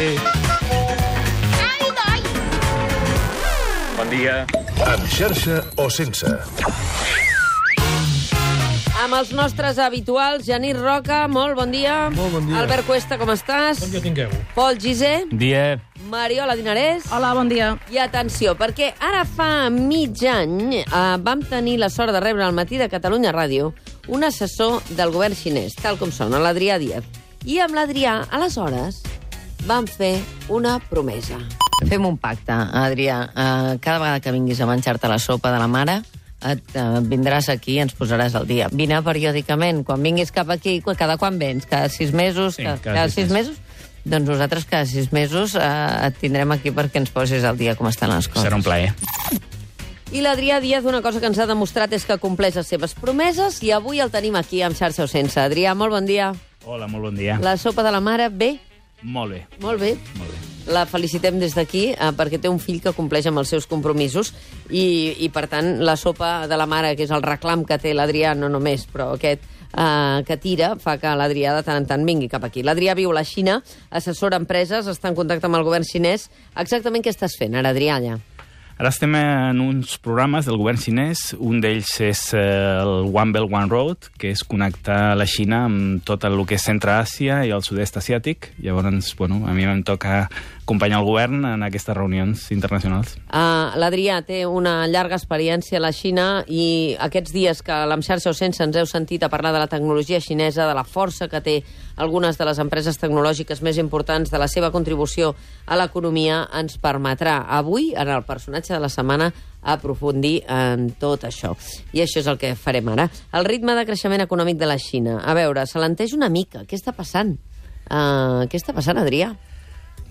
Sí. Bon dia. Amb xarxa o sense. Amb els nostres habituals, Genís Roca, molt bon dia. Molt bon dia. Albert Cuesta, com estàs? Bon dia tingueu. Pol Gisé. Dia. Mariola Dinarès. Hola, bon dia. I atenció, perquè ara fa mig any vam tenir la sort de rebre al matí de Catalunya Ràdio un assessor del govern xinès, tal com sona, l'Adrià Díaz. I amb l'Adrià, aleshores, vam fer una promesa. Fem un pacte, Adrià. Cada vegada que vinguis a menjar-te la sopa de la mare, vindràs aquí i ens posaràs al dia. Vine periòdicament. Quan vinguis cap aquí, cada quan vens? Cada 6 mesos? Sí, cada 6 mesos? Doncs nosaltres cada 6 mesos et tindrem aquí perquè ens posis al dia com estan les coses. Serà un plaer. I l'Adrià Díaz, una cosa que ens ha demostrat és que compleix les seves promeses i avui el tenim aquí amb xarxa o sense. Adrià, molt bon dia. Hola, molt bon dia. La sopa de la mare, bé? Molt bé. Molt bé. Molt bé. La felicitem des d'aquí perquè té un fill que compleix amb els seus compromisos i per tant, la sopa de la mare, que és el reclam que té l'Adrià, no només, però aquest que tira, fa que l'Adrià de tant en tant vingui cap aquí. L'Adrià viu a la Xina, assessora empreses, està en contacte amb el govern xinès. Exactament què estàs fent ara, Adrià, allà? Ara estem en uns programes del govern xinès. Un d'ells és el One Belt, One Road, que és connectar la Xina amb tot el que és Centre-Àsia i el sud-est asiàtic. Llavors, bueno, a mi em toca acompanyar el govern en aquestes reunions internacionals. L'Adrià té una llarga experiència a la Xina i aquests dies que amb xarxa o sense ens heu sentit a parlar de la tecnologia xinesa, de la força que té algunes de les empreses tecnològiques més importants, de la seva contribució a l'economia, ens permetrà avui, en el personatge de la setmana, aprofundir en tot això. I això és el que farem ara. El ritme de creixement econòmic de la Xina. A veure, s'alenteix una mica. Què està passant? Què està passant, Adrià?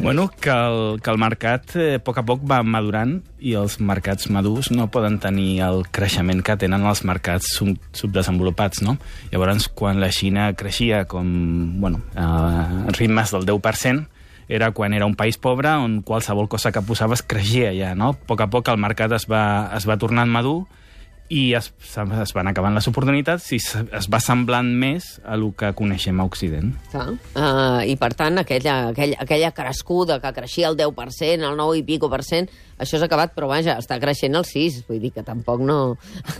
Bueno, que el mercat a poc va madurant i els mercats madurs no poden tenir el creixement que tenen els mercats subdesenvolupats, no? Llavors, quan la Xina creixia a ritmes del 10%, era quan era un país pobre on qualsevol cosa que posaves creixia ja, no? A poc el mercat es va tornant madur i es van acabant les oportunitats i es va semblant més a el que coneixem a Occident. I, per tant, aquella crescuda que creixia el 10%, el 9 i pico %, això s'ha acabat, però vaja, està creixent el 6%. Vull dir que tampoc no...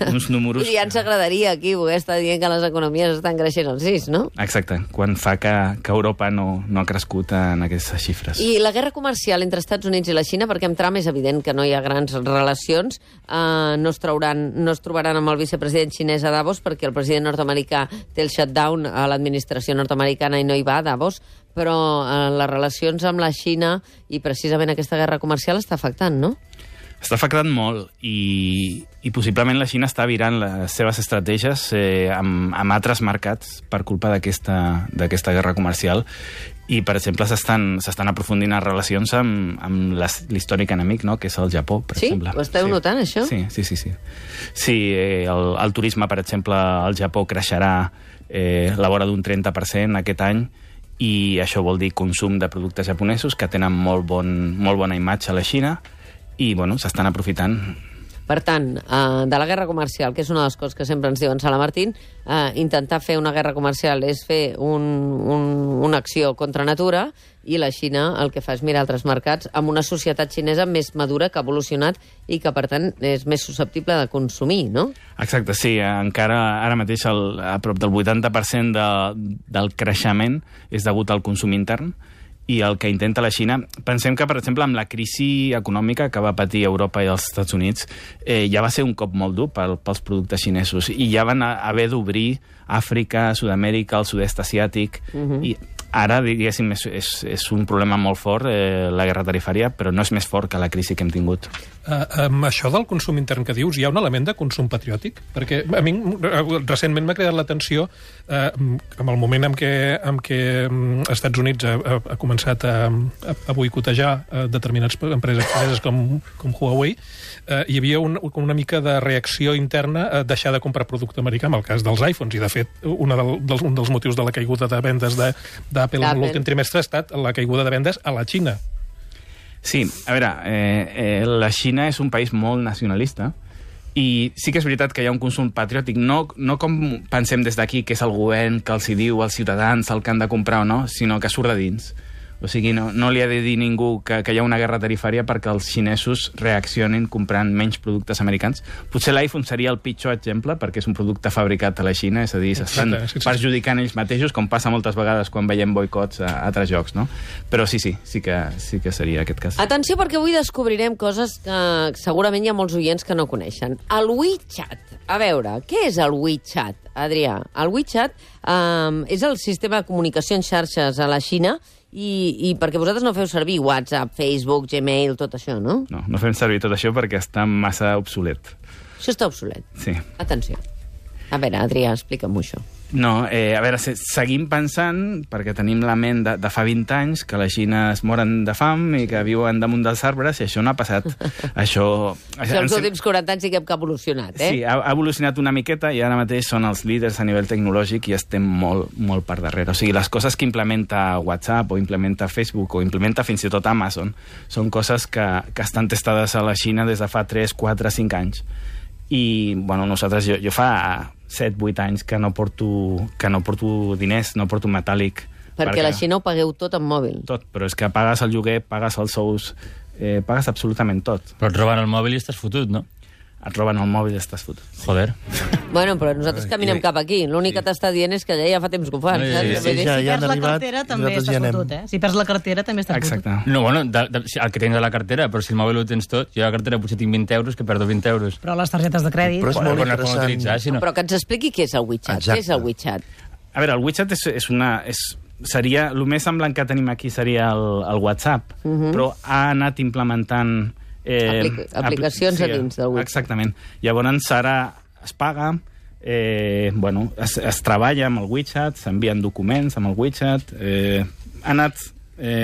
Uns números... I ja ens agradaria aquí poder estar dient que les economies estan creixent el 6%, no? Exacte, quan fa que Europa no ha crescut en aquestes xifres. I la guerra comercial entre Estats Units i la Xina, perquè amb Trump és evident que no hi ha grans relacions, no es trobaran amb el vicepresident xinès a Davos perquè el president nord-americà té el shutdown a l'administració nord-americana i no hi va a Davos, però les relacions amb la Xina i precisament aquesta guerra comercial està afectant, no? Està afectant molt i possiblement la Xina està virant les seves estratègies amb altres mercats per culpa d'aquesta guerra comercial i, per exemple, s'estan aprofundint les relacions amb l'històric enemic, no?, que és el Japó, per exemple. Sí? Ho esteu notant, això? Sí. Sí, el turisme, per exemple, al Japó creixerà la vora d'un 30% aquest any i això vol dir consum de productes japonesos que tenen molt bona imatge a la Xina i, bueno, s'estan aprofitant. Per tant, de la guerra comercial, que és una de les coses que sempre ens diuen Sala Martín, intentar fer una guerra comercial és fer una acció contra natura i la Xina el que fa és mirar altres mercats amb una societat xinesa més madura que ha evolucionat i que, per tant, és més susceptible de consumir, no? Exacte, sí. Encara ara mateix a prop del 80% del creixement és degut al consum intern i el que intenta la Xina... Pensem que, per exemple, amb la crisi econòmica que va patir Europa i els Estats Units, ja va ser un cop molt dur pels productes xinesos i ja van haver d'obrir Àfrica, Sud-amèrica, el sud-est asiàtic i ara, diguéssim, és un problema molt fort, la guerra tarifària, però no és més fort que la crisi que hem tingut. Amb això del consum intern que dius, hi ha un element de consum patriòtic? Perquè a mi recentment m'ha cridat l'atenció amb el moment en què Estats Units ha començat a boicotejar determinades empreses xineses com Huawei, hi havia una mica de reacció interna a deixar de comprar producte americà, en el cas dels iPhones, i de fet un dels motius de la caiguda de vendes d'Apple en l'últim trimestre ha estat la caiguda de vendes a la Xina. Sí, a veure, la Xina és un país molt nacionalista i sí que és veritat que hi ha un consum patriòtic, no com pensem des d'aquí, que és el govern que els hi diu als ciutadans el que han de comprar o no, sinó que surt de dins. O sigui, no li ha de dir ningú que hi ha una guerra tarifària perquè els xinesos reaccionin comprant menys productes americans. Potser l'iPhone seria el pitjor exemple, perquè és un producte fabricat a la Xina, és a dir, s'estan perjudicant ells mateixos, com passa moltes vegades quan veiem boicots a altres jocs, no? Però sí que seria aquest cas. Atenció, perquè avui descobrirem coses que segurament hi ha molts oients que no coneixen. El WeChat. A veure, què és el WeChat, Adrià? El WeChat és el sistema de comunicació en xarxes a la Xina i perquè vosaltres no feu servir WhatsApp, Facebook, Gmail, tot això, no? No fem servir tot això perquè està massa obsolet. Això està obsolet? Sí. Atenció. A veure, Adrià, explica'm això. No, a veure, seguim pensant, perquè tenim la ment de fa 20 anys, que la Xina es moren de fam i que viuen damunt dels arbres, i això no ha passat. Això els últims 40 anys sí que hem evolucionat, eh? Sí, ha evolucionat una miqueta i ara mateix són els líders a nivell tecnològic i estem molt, molt per darrere. O sigui, les coses que implementa WhatsApp o implementa Facebook o implementa fins i tot Amazon són coses que estan testades a la Xina des de fa 3, 4, 5 anys. I, bueno, nosaltres, jo fa 7-8 anys que no porto diners, no porto metàl·lic. Perquè a la Xina ho pagueu tot en mòbil. Tot, però és que pagues el lloguer, pagues els sous, pagues absolutament tot. Però et roben el mòbil i estàs fotut, no? Et roben el mòbil i estàs fotut. Joder. Bueno, però nosaltres caminem cap aquí. L'únic que t'està dient és que ja fa temps que ho fan. Sí. Si perds la cartera també estàs fotut, eh? Si perds la cartera també estàs fotut. Exacte. No, bueno, el que tens a la cartera, però si el mòbil ho tens tot, jo a la cartera potser tinc 20 euros, que perdo 20 euros. Però les targetes de crèdit... Però és molt interessant. Utilitzar, si no. Però que ens expliqui què és el WeChat. Exacte. Què és el WeChat? A veure, el WeChat seria... El més semblant que tenim aquí seria el WhatsApp, però ha anat implementant... aplicacions a dins del WeChat. Exactament. Llavors ara es paga, es treballa amb el WeChat, s'envien documents amb el WeChat, ha anat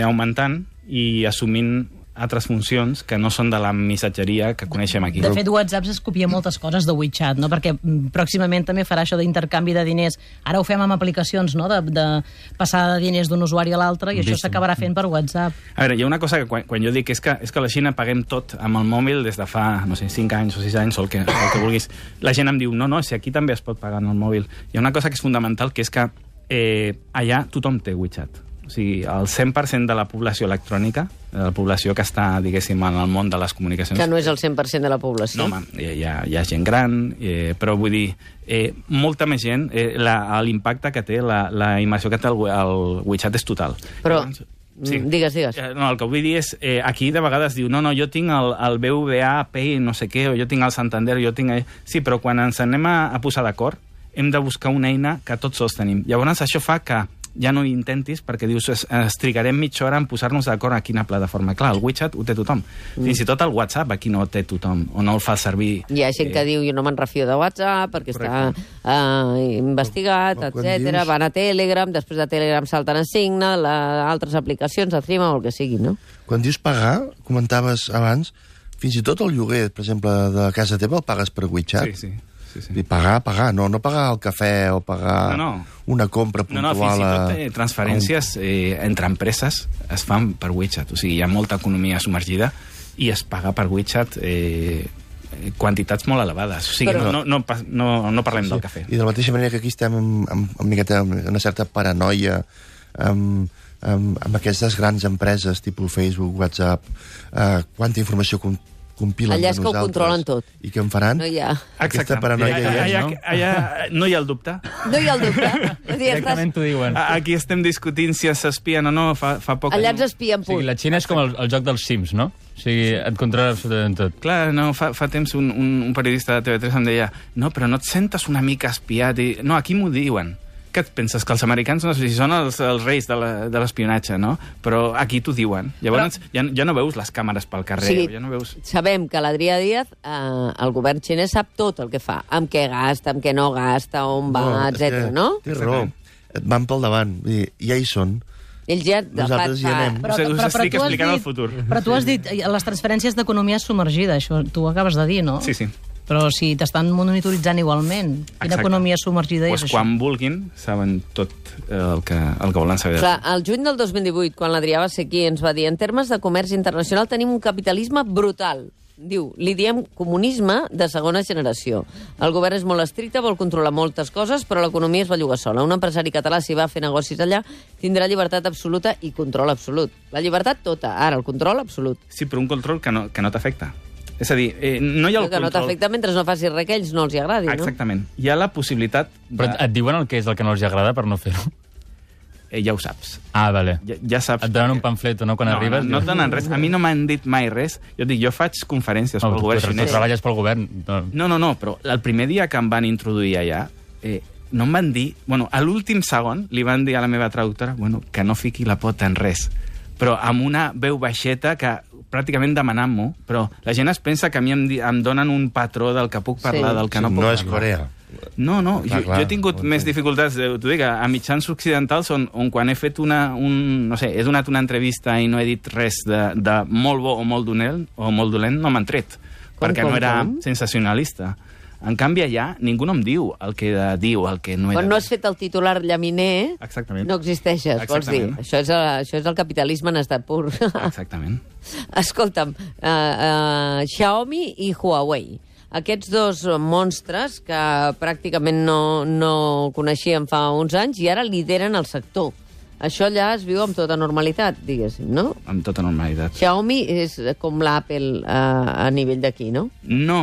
augmentant i assumint altres funcions que no són de la missatgeria que coneixem aquí. De fet, WhatsApp es copia moltes coses de WeChat, no? Perquè pròximament també farà això d'intercanvi de diners. Ara ho fem amb aplicacions, no? De passar de diners d'un usuari a l'altre, i això s'acabarà fent per WhatsApp. A veure, hi ha una cosa que quan jo dic és que a la Xina paguem tot amb el mòbil des de fa, no sé, 5 anys o 6 anys o el que vulguis. La gent em diu, no, si aquí també es pot pagar en el mòbil. Hi ha una cosa que és fundamental, que és que allà tothom té WeChat. O sigui, el 100% de la població electrònica, de la població que està, diguéssim, en el món de les comunicacions... Que no és el 100% de la població. No, home, hi ha gent gran, però vull dir, molta més gent, l'impacte que té, la immersió que té el WeChat és total. Però... Sí. Digues. No, el que vull dir és, aquí de vegades diu, no, jo tinc el BBVA Pay, no sé què, o jo tinc el Santander, jo tinc... Sí, però quan ens anem a posar d'acord, hem de buscar una eina que tots els tenim. Llavors això fa que ja no hi intentis, perquè dius, trigarem mitja hora en posar-nos d'acord a quina plataforma. Clar, el WeChat ho té tothom. Fins i tot el WhatsApp aquí no té tothom, o no el fa servir. Hi ha gent que diu, jo no me'n refio de WhatsApp, perquè està investigat, etc. Van a Telegram, després de Telegram salten a Signal, altres aplicacions, a Threema o el que sigui, no? Quan dius pagar, comentaves abans, fins i tot el lloguer, per exemple, de casa teva el pagues per WeChat? Sí. I pagar, no pagar el cafè o pagar una compra puntual. Fins i tot transferències entre empreses es fan per WeChat. O sigui, hi ha molta economia submergida i es paga per WeChat quantitats molt elevades. O sigui, no parlem del cafè. I de la mateixa manera que aquí estem amb una certa paranoia amb aquestes grans empreses, tipus Facebook, WhatsApp, quanta informació compilen allà és de que ho nosaltres. controlen tot. I què en faran? No hi ha. Aquesta paranoia no hi ha el dubte. No hi ha el dubte. Directament t'ho diuen. Aquí estem discutint si s'espien o no, fa poc. Allà ens espien, O sigui, la Xina és com el joc dels Sims, no? O sigui, et controla absolutament tot. Clar, no, fa temps un periodista de TV3 em deia, no, però no et sentes una mica espiat? No, aquí m'ho diuen. Què et penses? Que els americans no sé si són els reis de l'espionatge, no? Però aquí t'ho diuen. Llavors ja no veus les càmeres pel carrer. Sí, ja no veus... sabem que l'Adrià Díaz, el govern xinès sap tot el que fa, amb què gasta, amb què no gasta, on va, etc. no? Té raó. Et van pel davant. Ja hi són. Ells ja... Nosaltres hi anem. Us estic explicant el futur. Però tu has dit, les transferències d'economia submergida, això tu ho acabes de dir, no? Sí. Però si t'estan monitoritzant igualment, quina economia submergida és això? Quan vulguin, saben tot el que volen saber. Clar, el juny del 2018, quan l'Adrià va ser aquí, ens va dir, en termes de comerç internacional tenim un capitalisme brutal. Diu, li diem comunisme de segona generació. El govern és molt estricte, vol controlar moltes coses, però l'economia es belluga sola. Un empresari català, si va a fer negocis allà, tindrà llibertat absoluta i control absolut. La llibertat tota, ara el control absolut. Sí, però un control que no t'afecta. És a dir, no hi ha el que control... no t'afecta mentre no facis res que ells no els hi agradi, no? Exactament. Hi ha la possibilitat... Però et diuen el que és el que no els agrada per no fer-ho? Ja ho saps. Ah, vale. Ja saps. Et donen un pamflet, no, quan arribes? No et donen res. A mi no m'han dit mai res. Jo dic, jo faig conferències pel govern xinès. Tu treballes pel govern. No, però el primer dia que em van introduir allà, no em van dir... Bueno, a l'últim segon li van dir a la meva traductora que no fiqui la pota en res. Però amb una veu baixeta que pràcticament demanant-m'ho, però la gent es pensa que a mi em donen un patró del que puc parlar, del que no puc parlar. No és Corea. No, jo he tingut més dificultats. T'ho dic, a mitjans occidentals on quan he fet he donat una entrevista i no he dit res de molt bo o molt dolent, no m'han tret, perquè no era sensacionalista. En canvi, allà ningú no em diu el que he de dir o el que no he de dir. Quan no has fet el titular llaminer, no existeixes, vols dir. Això és el capitalisme en estat pur. Exactament. Escolta'm, Xiaomi i Huawei. Aquests dos monstres que pràcticament no coneixíem fa uns anys i ara lideren el sector. Això allà es viu amb tota normalitat, diguéssim, no? Amb tota normalitat. Xiaomi és com l'Apple a nivell d'aquí, no? No.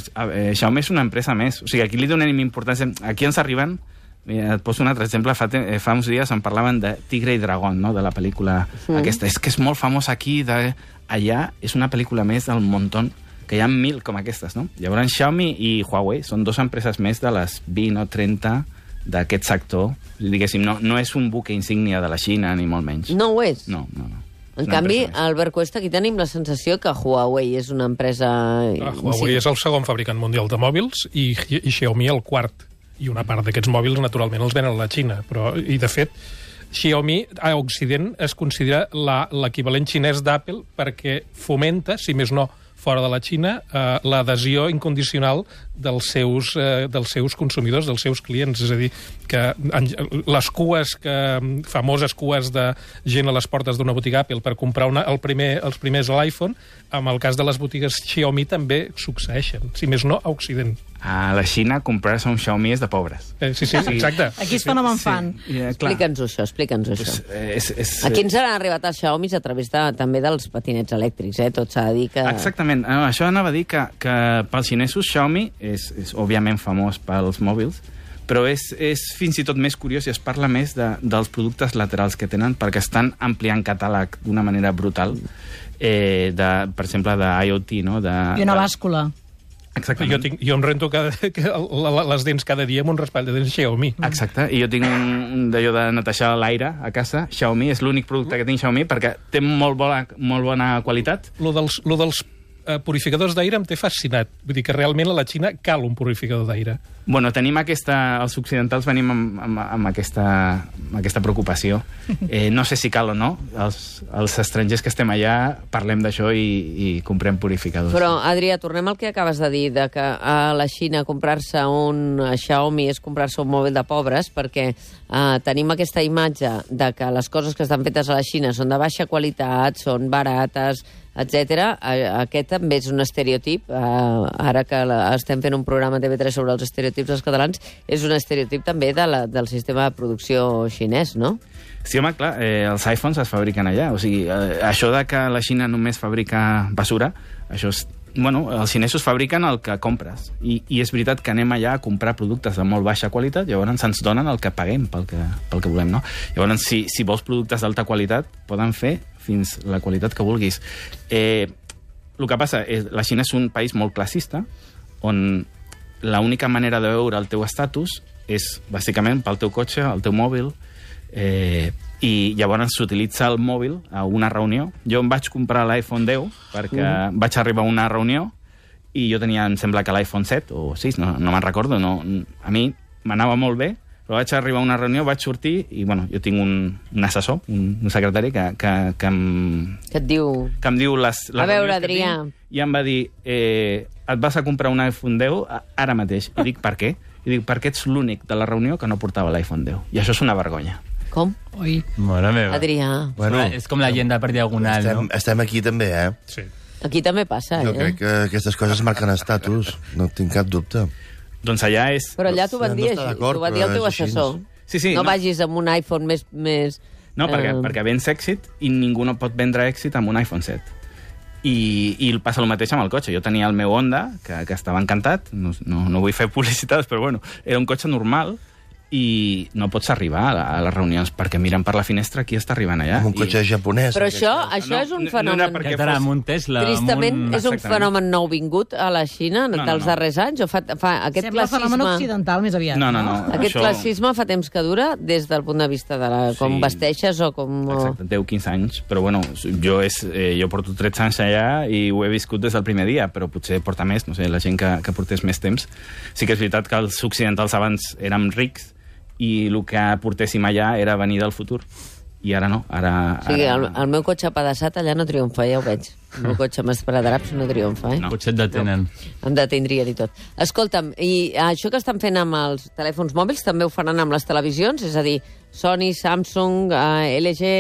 Xiaomi és una empresa més. O sigui, aquí li donem importància. Aquí ens arriben... Et poso un altre exemple. Fa uns dies en parlaven de Tigre i Dragón, no?, de la pel·lícula aquesta. És que és molt famosa aquí. Allà és una pel·lícula més del montón, que hi ha 1.000 com aquestes, no? Llavors, Xiaomi i Huawei són dues empreses més de les 20 o 30 d'aquest sector. Diguéssim, no és un buque insígnia de la Xina, ni molt menys. No ho és? No. En canvi, Albert Cuesta, aquí tenim la sensació que Huawei és una empresa... Huawei és el segon fabricant mundial de mòbils i Xiaomi el quart. I una part d'aquests mòbils, naturalment, els venen a la Xina. I, de fet, Xiaomi a Occident es considera l'equivalent xinès d'Apple perquè fomenta, si més no, fora de la Xina, l'adhesió incondicional dels seus consumidors, dels seus clients. És a dir, que les cues, famoses cues de gent a les portes d'una botiga Apple per comprar els primers a l'iPhone, amb el cas de les botigues Xiaomi també succeeixen, si més no, a Occident. A la Xina comprar-se un Xiaomi és de pobres. Sí, exacte. Aquí es fenomen fan. Explica'ns-ho, això. Aquí ens han arribat els Xiaomis a través també dels patinets elèctrics, tot s'ha de dir que... Exactament. Això anava a dir que pels xinesos Xiaomi és òbviament famós pels mòbils, però és fins i tot més curiós i es parla més dels productes laterals que tenen perquè estan ampliant catàleg d'una manera brutal, per exemple, d'IoT, no? I una bàscula. Exactament. Jo em rento les dents cada dia amb un raspall de dents Xiaomi. Exacte, i jo tinc un d'allò de netejar l'aire a casa. Xiaomi és l'únic producte que tinc Xiaomi perquè té molt bona qualitat. Lo dels purificadors d'aire em té fascinat. Vull dir que realment a la Xina cal un purificador d'aire. Bueno, tenim els occidentals venim amb aquesta preocupació. No sé si cal o no. Els estrangers que estem allà parlem d'això i comprem purificadors. Però, Adrià, tornem al que acabes de dir, de que a la Xina comprar-se un Xiaomi és comprar-se un mòbil de pobres, perquè tenim aquesta imatge de que les coses que estan fetes a la Xina són de baixa qualitat, són barates, etc. Aquest també és un estereotip. Ara que estem fent un programa a TV3 sobre els estereotips dels catalans, és un estereotip també del sistema de producció xinès, no? Sí, home, clar, els iPhones es fabriquen allà. O sigui, això de que la Xina només fabrica basura, això és... Bueno, els xinesos fabriquen el que compres. I és veritat que anem allà a comprar productes de molt baixa qualitat, llavors ens donen el que paguem pel que volem, no? Llavors, si vols productes d'alta qualitat, poden fer fins la qualitat que vulguis. El que passa és que la Xina és un país molt classista, on l'única manera de veure el teu estatus és, bàsicament, pel teu cotxe, el teu mòbil, i llavors s'utilitza el mòbil a una reunió. Jo em vaig comprar l'iPhone 10 perquè vaig arribar a una reunió i jo tenia, em sembla que l'iPhone 7 o 6, no me'n recordo, a mi m'anava molt bé, però vaig arribar a una reunió, vaig sortir i, bueno, jo tinc un assessor, un secretari que et diu... Que em diu les a veure, Adrià. I em va dir, et vas a comprar un iPhone 10 ara mateix. I dic, per què? I dic, perquè ets l'únic de la reunió que no portava l'iPhone 10. I això és una vergonya. Com? Ui. Mare meva. Adrià. Bueno, és com la llegenda per diagonal, no? Estem aquí també, Sí. Aquí també passa, Jo crec que aquestes coses marquen estatus, no tinc cap dubte. Doncs allà és... Però allà t'ho van dir, No està d'acord, t'ho va dir el teu però és així. assessor. Sí, no vagis amb un iPhone més... No, perquè vens èxit i ningú no pot vendre èxit amb un iPhone 7. I passa el mateix amb el cotxe. Jo tenia el meu Honda, que estava encantat, no vull fer publicitats, però bueno, era un cotxe normal, i no pots arribar a les reunions perquè miren per la finestra qui està arribant allà. Amb un cotxe japonès. Però això és un fenomen... Ja t'anà amb un Tesla. Tristament, és un Exactament. fenomen nou vingut a la Xina dels darrers anys? O fa aquest Sembla fenomen classisme... occidental més aviat. No. Aquest classisme fa temps que dura des del punt de vista de com vesteixes o com... Exacte, 10-15 anys. Però bueno, jo porto 13 anys allà i ho he viscut des del primer dia, però potser porta més, no sé, la gent que portés més temps. Sí que és veritat que els occidentals abans érem rics i el que portéssim allà era venir del futur. I ara no. O sigui, el meu cotxe apedaçat allà no triomfa, ja ho veig. El meu cotxe amb esparadraps no triomfa, No. Potser et detenen. Em detindrien i tot. Escolta'm, i això que estan fent amb els telèfons mòbils també ho faran amb les televisions? És a dir, Sony, Samsung, LG...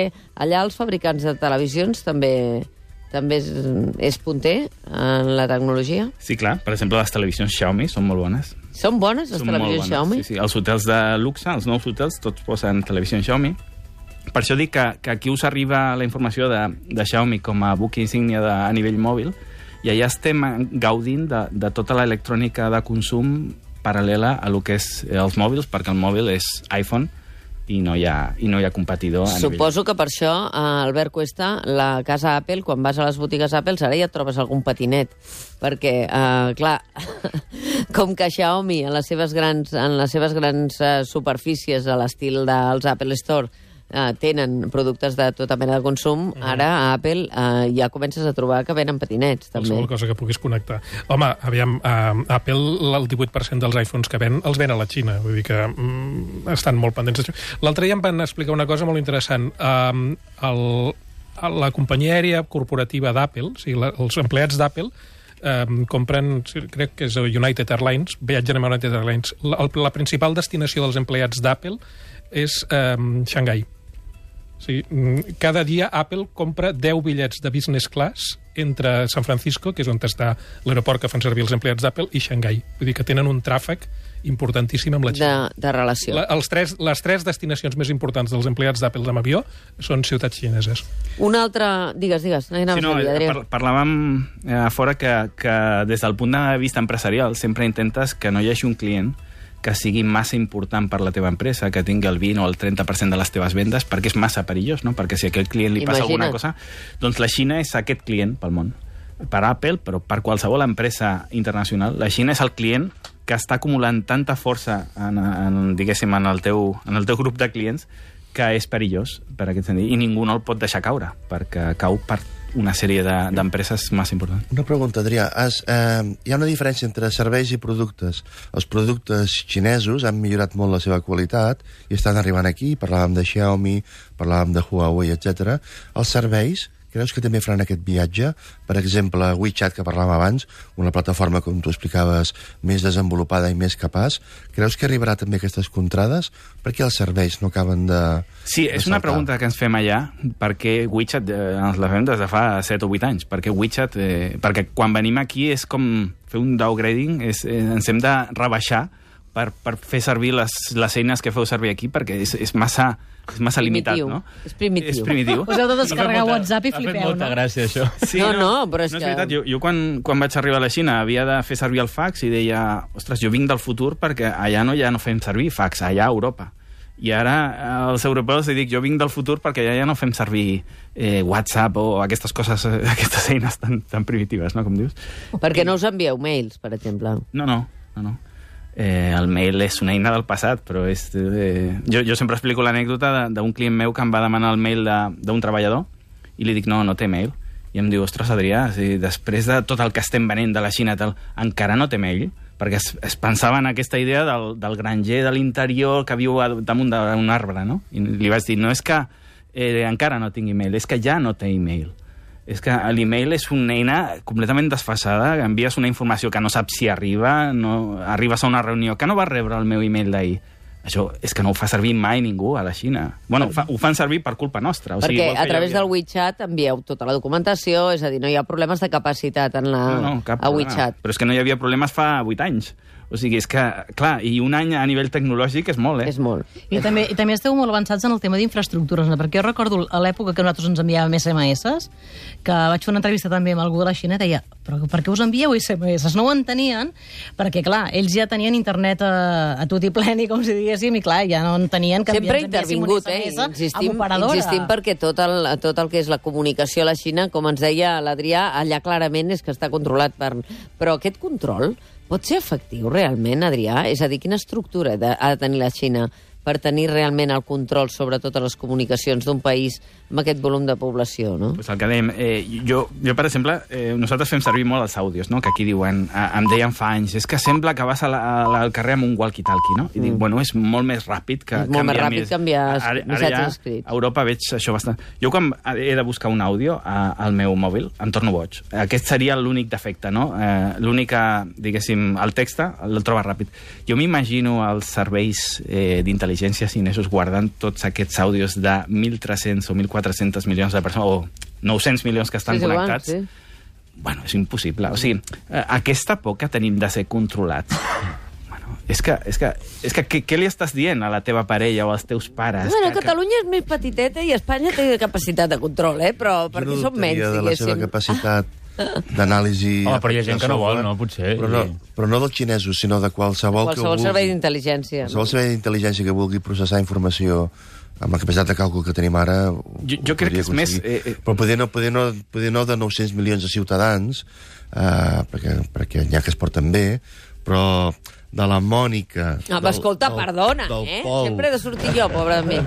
Allà els fabricants de televisions també és punter en la tecnologia? Sí, clar. Per exemple, les televisions Xiaomi són molt bones. Són bones, les televisions Xiaomi? Sí. Els hotels de luxe, els nous hotels, tots posen televisions Xiaomi. Per això dic que aquí us arriba la informació de Xiaomi com a buc insígnia a nivell mòbil, i allà estem gaudint de tota l'electrònica de consum paral·lela a lo que és els mòbils, perquè el mòbil és iPhone i no hi ha competidor a nivell. Suposo que per això, Albert Cuesta, la casa Apple, quan vas a les botigues Apple, ara ja et trobes algun patinet. Perquè, clar, com que Xiaomi, en les seves grans superfícies a l'estil dels Apple Store, tenen productes de tota mena de consum, ara a Apple ja comences a trobar que venen patinets, també. Qualsevol cosa que puguis connectar. Home, aviam, Apple, el 18% dels iPhones que ven, els ven a la Xina. Vull dir que estan molt pendents. L'altre dia em van explicar una cosa molt interessant. La companyia aèria corporativa d'Apple, o sigui, els empleats d'Apple, compren, crec que és United Airlines, viatgen amb United Airlines. La principal destinació dels empleats d'Apple és Xangai. Sí, cada dia Apple compra 10 bitllets de business class entre San Francisco, que és on està l'aeroport que fan servir els empleats d'Apple, i Xangai. Vull dir que tenen un tràfic importantíssim amb la Xina. De relació. Les tres destinacions més importants dels empleats d'Apple amb avió són ciutats xineses. Una altra... Digues. Parlàvem a fora que des del punt de vista empresarial sempre intentes que no hi hagi un client que sigui massa important per la teva empresa, que tingui el 20 o el 30% de les teves vendes, perquè és massa perillós, no? Perquè si a aquell client li passa alguna cosa... Doncs la Xina és aquest client pel món. Per Apple, però per qualsevol empresa internacional, la Xina és el client que està acumulant tanta força diguéssim, en el teu grup de clients, que és perillós, per aquest sentit, i ningú no el pot deixar caure, perquè cau per una sèrie d'empreses massa importants. Una pregunta, Adrià. Hi ha una diferència entre serveis i productes. Els productes xinesos han millorat molt la seva qualitat i estan arribant aquí. Parlàvem de Xiaomi, parlàvem de Huawei, etc. Els serveis, creus que també faran aquest viatge? Per exemple, WeChat, que parlàvem abans, una plataforma, com tu explicaves, més desenvolupada i més capaç. Creus que arribarà també aquestes contrades? Per què els serveis no acaben de... Sí, és una pregunta que ens fem allà, perquè WeChat ens la fem des de fa 7 o 8 anys. Perquè WeChat, perquè quan venim aquí és com fer un downgrading, ens hem de rebaixar per fer servir les eines que feu servir aquí, perquè és massa limitat, no? És primitiu. Us heu de descarregar WhatsApp i flipeu, no? Ha fet molta gràcia, això. Sí, però és que... No és veritat, jo quan vaig arribar a la Xina havia de fer servir el fax i deia, ostres, jo vinc del futur perquè allà ja no fem servir fax, allà a Europa. I ara als europeus dic, jo vinc del futur perquè ja no fem servir WhatsApp o aquestes coses, aquestes eines tan primitives, no?, com dius. Perquè no us envieu mails, per exemple. No. El mail és una eina del passat, però jo sempre explico l'anècdota d'un client meu que em va demanar el mail d'un treballador i li dic, no té mail. I em diu, ostres, Adrià, després de tot el que estem venent de la Xina, encara no té mail? Perquè es pensava en aquesta idea del granger de l'interior que viu damunt d'un arbre, no? I li vaig dir, no és que encara no tingui mail, és que ja no té e-mail. És que l'email és una eina completament desfasada, envies una informació que no saps si arriba, no arribes a una reunió que no vas rebre el meu email d'ahir. Això és que no ho fa servir mai ningú a la Xina. Bueno, ho fan servir per culpa nostra. Perquè a través del WeChat envieu tota la documentació, és a dir, no hi ha problemes de capacitat a WeChat. Però és que no hi havia problemes fa 8 anys. O sigui, és que, clar, i un any a nivell tecnològic és molt, És molt. I també esteu molt avançats en el tema d'infraestructures, no? Perquè jo recordo a l'època que nosaltres ens enviàvem SMS, que vaig fer una entrevista també amb algú de la Xina, deia, però per què us envieu SMS? No ho entenien, perquè, clar, ells ja tenien internet a tot i pleni, com si diguéssim, i clar, ja no entenien que sempre intervingut, insistim perquè tot el que és la comunicació a la Xina, com ens deia l'Adrià, allà clarament és que està controlat per... Però aquest control pot ser efectiu realment, Adrià? És a dir, quina estructura ha de tenir la Xina per tenir realment el control sobre totes les comunicacions d'un país amb aquest volum de població, no? Pues el que dèiem, jo per exemple, nosaltres fem servir molt els àudios, no? Que aquí diuen, em deien fa anys, és que sembla que vas al carrer amb un walkie-talkie, no? I dic, bueno, és molt més ràpid que molt més ràpid canviar missatges escrits. A Europa veig això bastant... Jo quan he de buscar un àudio al meu mòbil, em torno boig. Aquest seria l'únic defecte, no? L'única, diguéssim, el text el troba ràpid. Jo m'imagino els serveis d'intel·ligència xinesos guardant tots aquests àudios de 1.300 o 1.400 milions de persones, o 900 milions que estan connectats. Sí. Bueno, és impossible. O sigui, aquesta por que tenim de ser controlats... Bueno, és que què li estàs dient a la teva parella o als teus pares? Bueno, Catalunya és més petiteta i Espanya té capacitat de control, però perquè som menys, diguéssim. De la seva capacitat d'anàlisi... Home, però hi ha gent que no vol, no? Potser. Però no dels xinesos, sinó de qualsevol servei d'intel·ligència. Qualsevol servei d'intel·ligència que vulgui processar informació amb la capacitat de càlcul que tenim ara... Jo crec que és més... Però poder no de 900 milions de ciutadans, perquè n'hi ha que es porten bé, però de la Mònica... Escolta, perdona, sempre he de sortir jo, pobre de mi.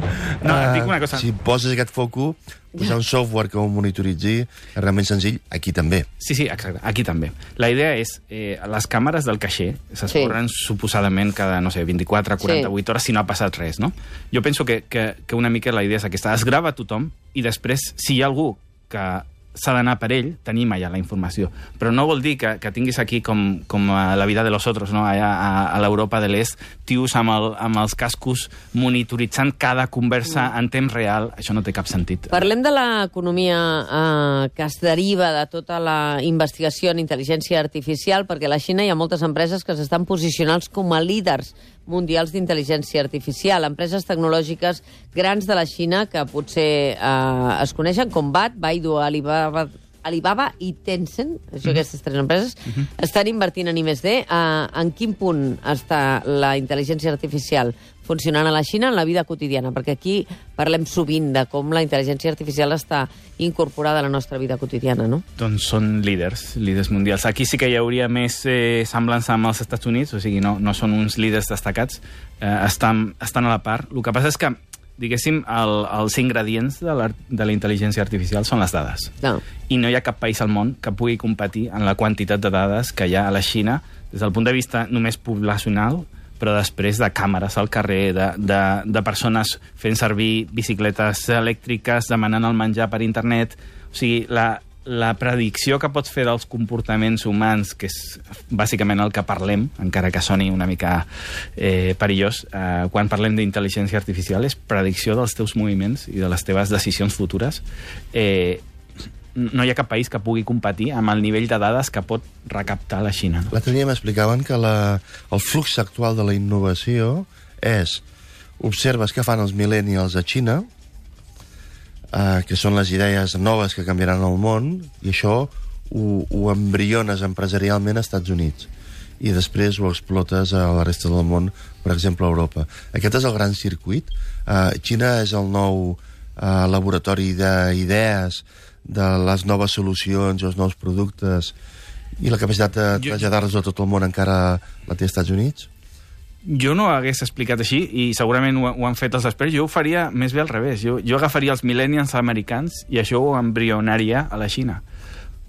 No, et dic una cosa... Si poses aquest foco, posar un software que ho monitoritzi és realment senzill, aquí també. Sí, exacte, aquí també. La idea és, les càmeres del caixer s'esborren suposadament cada, no sé, 24, 48 hores si no ha passat res, no? Jo penso que una mica la idea és aquesta. Es grava tothom i després, si hi ha algú que s'ha d'anar per ell, tenim allà la informació. Però no vol dir que tinguis aquí com a la vida de los otros, no? Allà a l'Europa de l'Est, tios amb els cascos monitoritzant cada conversa en temps real. Això no té cap sentit. Parlem de l'economia que es deriva de tota la investigació en intel·ligència artificial, perquè a la Xina hi ha moltes empreses que s'estan posicionant com a líders mundials d'intel·ligència artificial. Empreses tecnològiques grans de la Xina que potser es coneixen com BAT, Baidu, Alibaba i Tencent, aquestes tres empreses, estan invertint en I+D. En quin punt està la intel·ligència artificial funcionant a la Xina en la vida quotidiana? Perquè aquí parlem sovint de com la intel·ligència artificial està incorporada a la nostra vida quotidiana, no? Doncs són líders mundials. Aquí sí que hi hauria més semblança amb els Estats Units, o sigui, no són uns líders destacats, estan a la part. El que passa és que diguéssim, els ingredients de la intel·ligència artificial són les dades. No. I no hi ha cap país al món que pugui competir en la quantitat de dades que hi ha a la Xina des del punt de vista només poblacional, però després de càmeres al carrer, de persones fent servir bicicletes elèctriques, demanant el menjar per internet. O sigui, la predicció que pots fer dels comportaments humans, que és bàsicament el que parlem, encara que soni una mica perillós, quan parlem d'intel·ligència artificial, és predicció dels teus moviments i de les teves decisions futures. No hi ha cap país que pugui competir amb el nivell de dades que pot recaptar la Xina. No? L'altre dia m'explicaven que el flux actual de la innovació és observes què fan els millennials a Xina, que són les idees noves que canviaran el món, i això ho embriones empresarialment als Estats Units. I després ho explotes a la resta del món, per exemple, a Europa. Aquest és el gran circuit. Xina és el nou laboratori d'idees, de les noves solucions, els nous productes, i la capacitat de traslladar-los a tot el món encara la té als Estats Units? Jo no ho hagués explicat així, i segurament ho han fet els experts. Jo ho faria més bé al revés. Jo agafaria els millennials americans i això ho embrionaria a la Xina,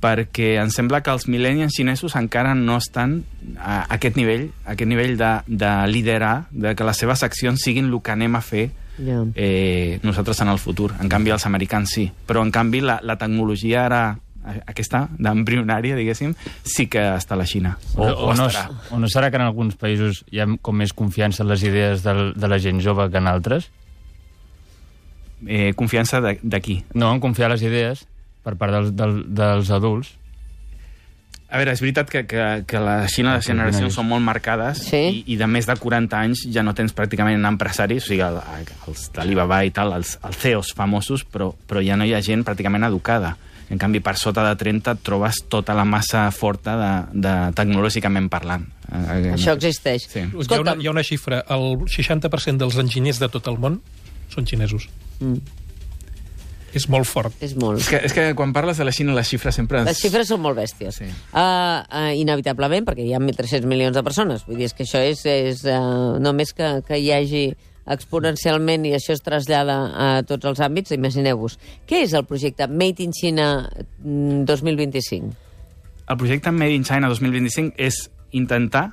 perquè em sembla que els millennials xinesos encara no estan a aquest nivell de liderar, de que les seves accions siguin el que anem a fer nosaltres en el futur. En canvi, els americans sí. Però, en canvi, la tecnologia ara aquesta d'embrionària, diguéssim, sí que està a la Xina. O no serà que en alguns països hi ha com més confiança en les idees de la gent jove que en altres? Confiança de qui? No, en confiar les idees per part dels adults. A veure, és veritat que la Xina les generacions són molt marcades, Sí. i de més de 40 anys ja no tens pràcticament empresaris, o sigui, els d'Alibaba i tal, els CEOs famosos, però ja no hi ha gent pràcticament educada. En canvi, per sota de 30 et trobes tota la massa forta de tecnològicament parlant. Això existeix. Sí. Hi ha una xifra, el 60% dels enginyers de tot el món són xinesos. És molt fort. És molt. És que quan parles de la Xina, les xifres sempre... Les xifres són molt bèsties. Sí. Inevitablement, perquè hi ha 1.300 milions de persones. Vull dir, és que això és només que hi hagi exponencialment i això es trasllada a tots els àmbits, imagineu-vos. Què és el projecte Made in China 2025? El projecte Made in China 2025 és intentar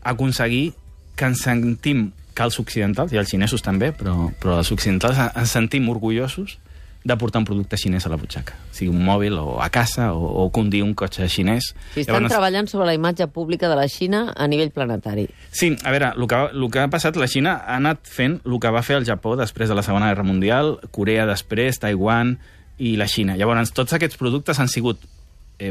aconseguir que ens sentim, que els occidentals, i els xinesos també, però els occidentals ens sentim orgullosos de portar un producte xinès a la butxaca. Sigui un mòbil, o a casa, o conduir un cotxe xinès. Si estan treballant sobre la imatge pública de la Xina a nivell planetari. Sí, a veure, el que ha passat, la Xina ha anat fent el que va fer el Japó després de la Segona Guerra Mundial, Corea després, Taiwan i la Xina. Llavors, tots aquests productes han sigut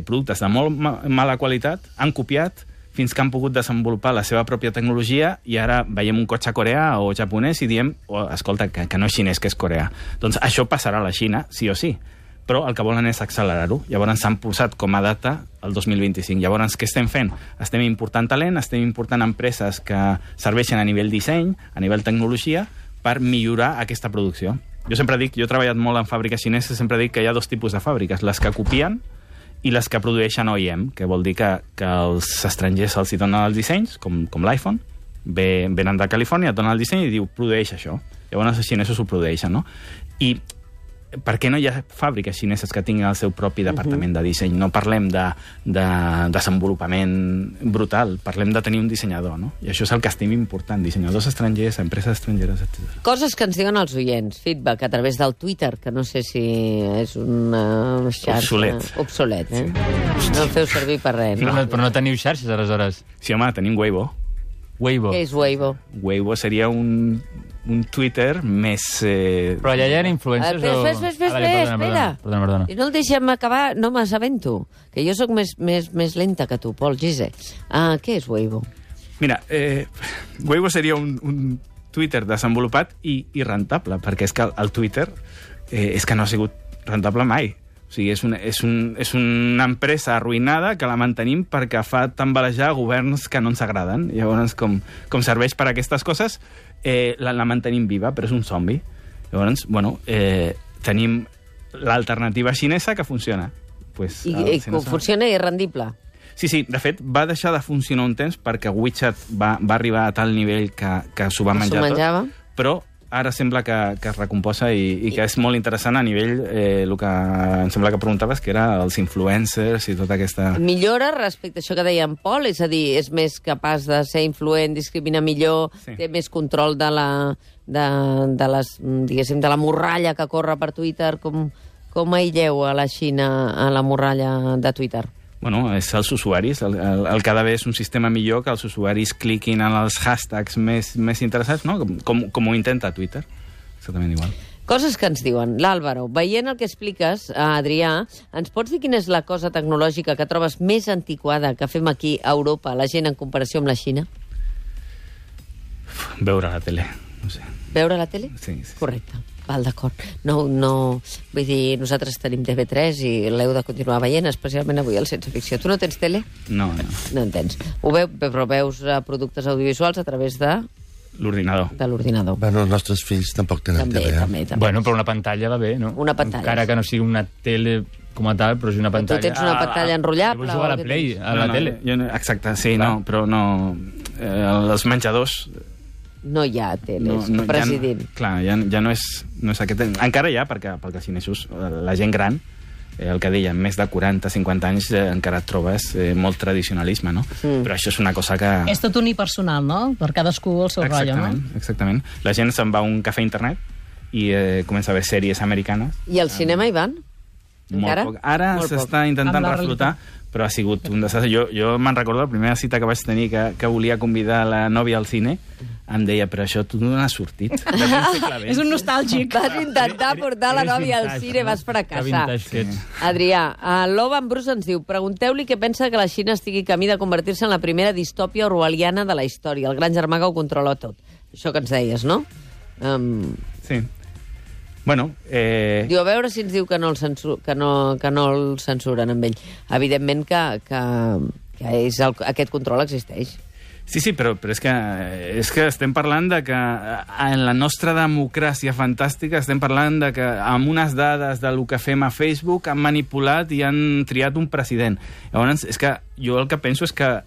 productes de molt mala qualitat, han copiat fins que han pogut desenvolupar la seva pròpia tecnologia i ara veiem un cotxe coreà o japonès i diem, escolta, que no és xinès, que és coreà. Doncs això passarà a la Xina, sí o sí. Però el que volen és accelerar-ho. Llavors s'han posat com a data el 2025. Llavors, què estem fent? Estem important talent, estem important empreses que serveixen a nivell disseny, a nivell tecnologia, per millorar aquesta producció. Jo sempre dic, jo he treballat molt en fàbriques xineses, sempre dic que hi ha dos tipus de fàbriques, les que copien i les que produeixen OEM, que vol dir que els estrangers els hi donen els dissenys, com l'iPhone, venen de Califòrnia, et donen el disseny i diu, produeix això. Llavors els xinesos ho produeixen, no? I per què no hi ha fàbriques xineses que tinguin el seu propi departament de disseny? No parlem de desenvolupament brutal, parlem de tenir un dissenyador, no? I això és el que estim important, dissenyadors estrangers, empreses estrangeres, etc. Coses que ens diuen els oients, feedback a través del Twitter, que no sé si és una xarxa... Obsolet, eh? Sí. No el feu servir per res, no? Però no teniu xarxes, aleshores? Sí, home, tenim Weibo. Weibo. Què és Weibo? Weibo seria un Twitter més... Però allà hi ha influencers o... Espera. Perdona. I no el deixem acabar, no m'assabento, que jo sóc més lenta que tu, Pol Gise. Què és Weibo? Mira, Weibo seria un Twitter desenvolupat i rentable, perquè és que el Twitter és que no ha sigut rentable mai. O sigui, és una empresa arruïnada que la mantenim perquè fa tambalejar governs que no ens agraden. Llavors, com serveix per a aquestes coses, la mantenim viva, però és un zombi. Llavors, tenim l'alternativa xinesa que funciona. Pues, I funciona i és rendible? Sí, de fet, va deixar de funcionar un temps perquè WeChat va arribar a tal nivell que s'ho va menjar tot. Però ara sembla que es recomposa i que és molt interessant a nivell, el que em sembla que preguntaves, que era els influencers i tota aquesta... Millora respecte a això que deia en Pol? És a dir, és més capaç de ser influent, discriminar millor, sí. Té més control de la morralla que corre per Twitter? Com aïlleu a la Xina a la morralla de Twitter? Bueno, és els usuaris. El cada vegada és un sistema millor que els usuaris cliquin en els hashtags més interessants, no? Com ho intenta Twitter. Exactament igual. Coses que ens diuen. L'Àlvaro, veient el que expliques, Adrià, ens pots dir quina és la cosa tecnològica que trobes més antiquada que fem aquí a Europa, la gent, en comparació amb la Xina? Veure la tele, no sé. Veure la tele? Sí. Correcte. Val, d'acord. No, vull dir, nosaltres tenim TV3 i l'heu de continuar veient, especialment avui al Sense Ficció. Tu no tens tele? No. No en tens. Però veus productes audiovisuals a través de... L'ordinador. De l'ordinador. Bueno, els nostres fills tampoc tenen tele. També. Bueno, però una pantalla va bé, no? Una pantalla. Encara que no sigui una tele com a tal, però és una pantalla... Tu tens una pantalla enrotllable? Jo jugar a la Play, a la tele. Exacte, sí, no, però no... Els menjadors... No hi ha teles, president. Clar, ja no és aquest... Encara hi ha, perquè els xinesos, la gent gran, el que deia, més de 40-50 anys, encara et trobes molt tradicionalisme, no? Però això és una cosa que... És tot unipersonal, no? Per cadascú el seu rotllo, no? Exactament. La gent se'n va a un cafè a internet i comença a veure sèries americanes. I al cinema hi van? Encara? Molt poc. Ara Molt s'està poc. intentant Amb la reflotar, però ha sigut un desastre. Jo me'n recordo la primera cita que vaig tenir que volia convidar la nòvia al cine, em deia, però això tu no n'has sortit. És un nostàlgic. Vas intentar portar la Eres nòvia al vintage, cine, no? vas fracassar. Que vintage que ets. Adrià, l'Oban Bruce ens diu: pregunteu-li què pensa que la Xina estigui camí de convertir-se en la primera distòpia orwelliana de la història. El gran germà que ho controla tot. Això que ens deies, no? Sí. Bueno, Diu, a veure si ens diu que no el censuren amb ell. Evidentment que aquest control existeix. sí, però és que estem parlant de que en la nostra democràcia fantàstica estem parlant de que amb unes dades del que fem a Facebook han manipulat i han triat un president. Llavors, és que jo el que penso és que,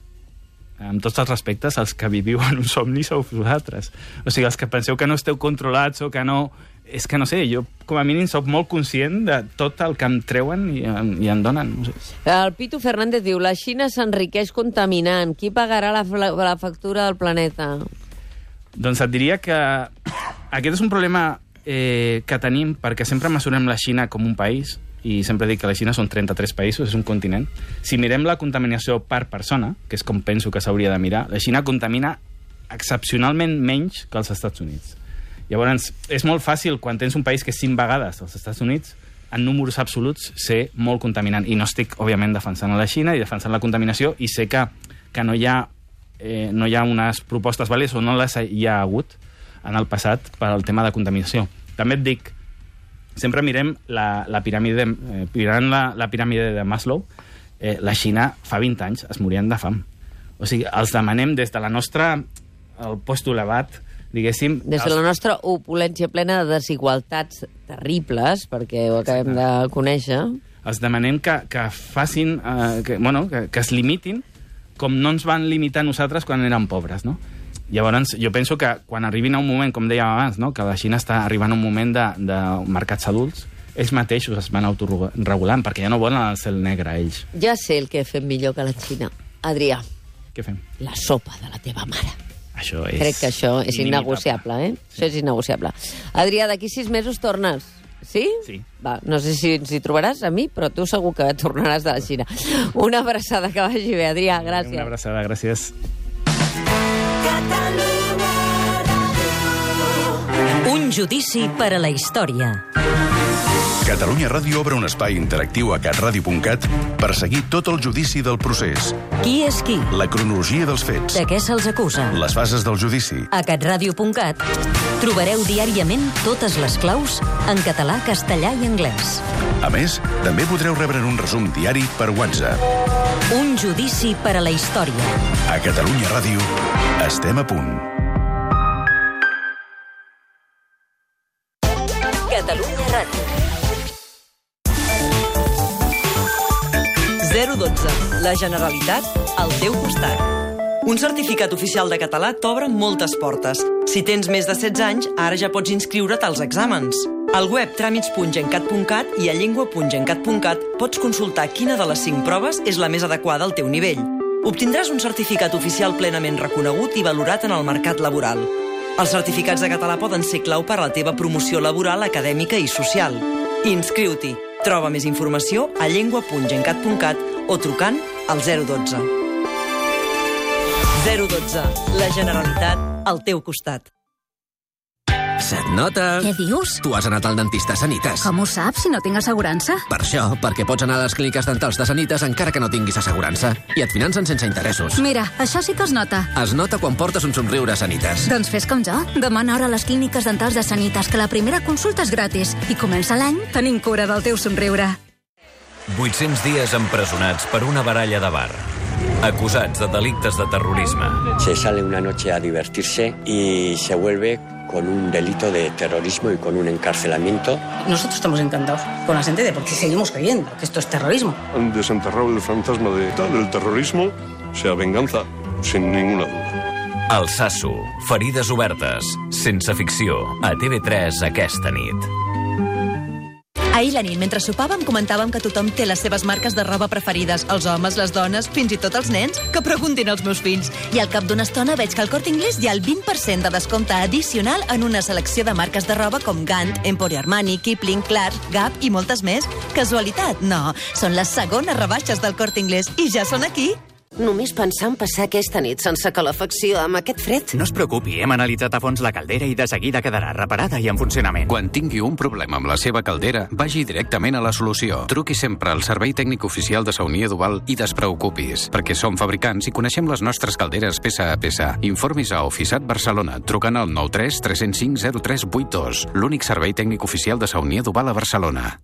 amb tots els respectes, els que viviu en un somni sou vosaltres. O sigui, els que penseu que no esteu controlats o que no... És que no sé, jo com a mínim soc molt conscient de tot el que em treuen i em donen. No sé. El Pitu Fernández diu: la Xina s'enriqueix contaminant. Qui pagarà la factura del planeta? Doncs et diria que aquest és un problema que tenim perquè sempre mesurem la Xina com un país i sempre dic que la Xina són 33 països, és un continent. Si mirem la contaminació per persona, que és com penso que s'hauria de mirar, la Xina contamina excepcionalment menys que els Estats Units. Llavors, és molt fàcil, quan tens un país que és 5 vegades als Estats Units, en números absoluts, ser molt contaminant. I no estic, òbviament, defensant a la Xina i defensant la contaminació, i sé que no hi ha unes propostes vàlides o no les hi ha hagut en el passat per al tema de contaminació. També et dic, sempre mirem la piràmide, mirant la piràmide de Maslow, la Xina fa 20 anys es morien de fam. O sigui, els demanem des de la nostra, el post elevat, diguéssim... Des de la nostra opulència plena de desigualtats terribles, perquè ho acabem de conèixer. Els demanem que facin, que es limitin com no ens van limitar nosaltres quan érem pobres, no? Llavors, jo penso que quan arribin a un moment, com dèiem abans, no? Que la Xina està arribant a un moment de mercats adults, ells mateixos es van autorregulant, perquè ja no volen el cel negre, ells. Ja sé el que fem millor que la Xina. Adrià, Què fem? la sopa de la teva mare. Això és... Crec que això és innegociable, eh? Sí. Això és innegociable. Adrià, d'aquí 6 mesos tornes. Sí? Sí. Va, no sé si ens hi trobaràs a mi, però tu segur que tornaràs de la Xina. Una abraçada, que vagi bé, Adrià, gràcies. Una abraçada, gràcies. Un judici per a la història. Catalunya Ràdio obre un espai interactiu a catradio.cat per seguir tot el judici del procés, Qui és qui? la cronologia dels fets, De què se'ls acusa? les fases del judici. A catradio.cat trobareu diàriament totes les claus en català, castellà i anglès. A més, també podreu rebre un resum diari per WhatsApp. Un judici per a la història. A Catalunya Ràdio estem a punt. Catalunya Ràdio. 012. La Generalitat al teu costat. Un certificat oficial de català t'obre moltes portes. Si tens més de 16 anys, ara ja pots inscriure't als exàmens. Al web tràmits.gencat.cat i a llengua.gencat.cat pots consultar quina de les 5 proves és la més adequada al teu nivell. Obtindràs un certificat oficial plenament reconegut i valorat en el mercat laboral. Els certificats de català poden ser clau per a la teva promoció laboral, acadèmica i social. Inscriu-t'hi. Troba més informació a llengua.gencat.cat o trucant al 012. 012. La Generalitat al teu costat. Se't nota... Què dius? Tu has anat al dentista Sanitas. Com ho saps, si no tinc assegurança? Per això, perquè pots anar a les clíniques dentals de Sanitas encara que no tinguis assegurança. I et financen sense interessos. Mira, això sí que es nota. Es nota quan portes un somriure a Sanitas. Doncs fes com jo. Demana hora a les clíniques dentals de Sanitas, que la primera consulta és gratis. I comença l'any tenint cura del teu somriure. 800 dies empresonats per una baralla de bar. Acusats de delictes de terrorisme. Se sale una noche a divertirse y se vuelve con un delito de terrorismo y con un encarcelamiento. Nosotros estamos encantados con la sentencia porque seguimos creyendo que esto es terrorismo. Han desenterrado el fantasma del terrorismo, sea venganza, sin ninguna duda. Alsasu, ferides obertes, sense ficció, a TV3 aquesta nit. Ahir la nit, mentre sopàvem, comentàvem que tothom té les seves marques de roba preferides. Els homes, les dones, fins i tot els nens. Que preguntin als meus fills. I al cap d'una estona veig que al Corte Inglés hi ha el 20% de descompte addicional en una selecció de marques de roba com Gant, Emporio Armani, Kipling, Clarks, Gap i moltes més. Casualitat? No. Són les segones rebaixes del Corte Inglés i ja són aquí. Només pensar en passar aquesta nit sense calefacció amb aquest fred. No es preocupi, hem analitzat a fons la caldera i de seguida quedarà reparada i en funcionament. Quan tingui un problema amb la seva caldera, vagi directament a la solució. Truqui sempre al servei tècnic oficial de Saunier Duval i despreocupis, perquè som fabricants i coneixem les nostres calderes peça a peça. Informis a Oficiat Barcelona, trucant al 93 305 0382, l'únic servei tècnic oficial de Saunier Duval a Barcelona.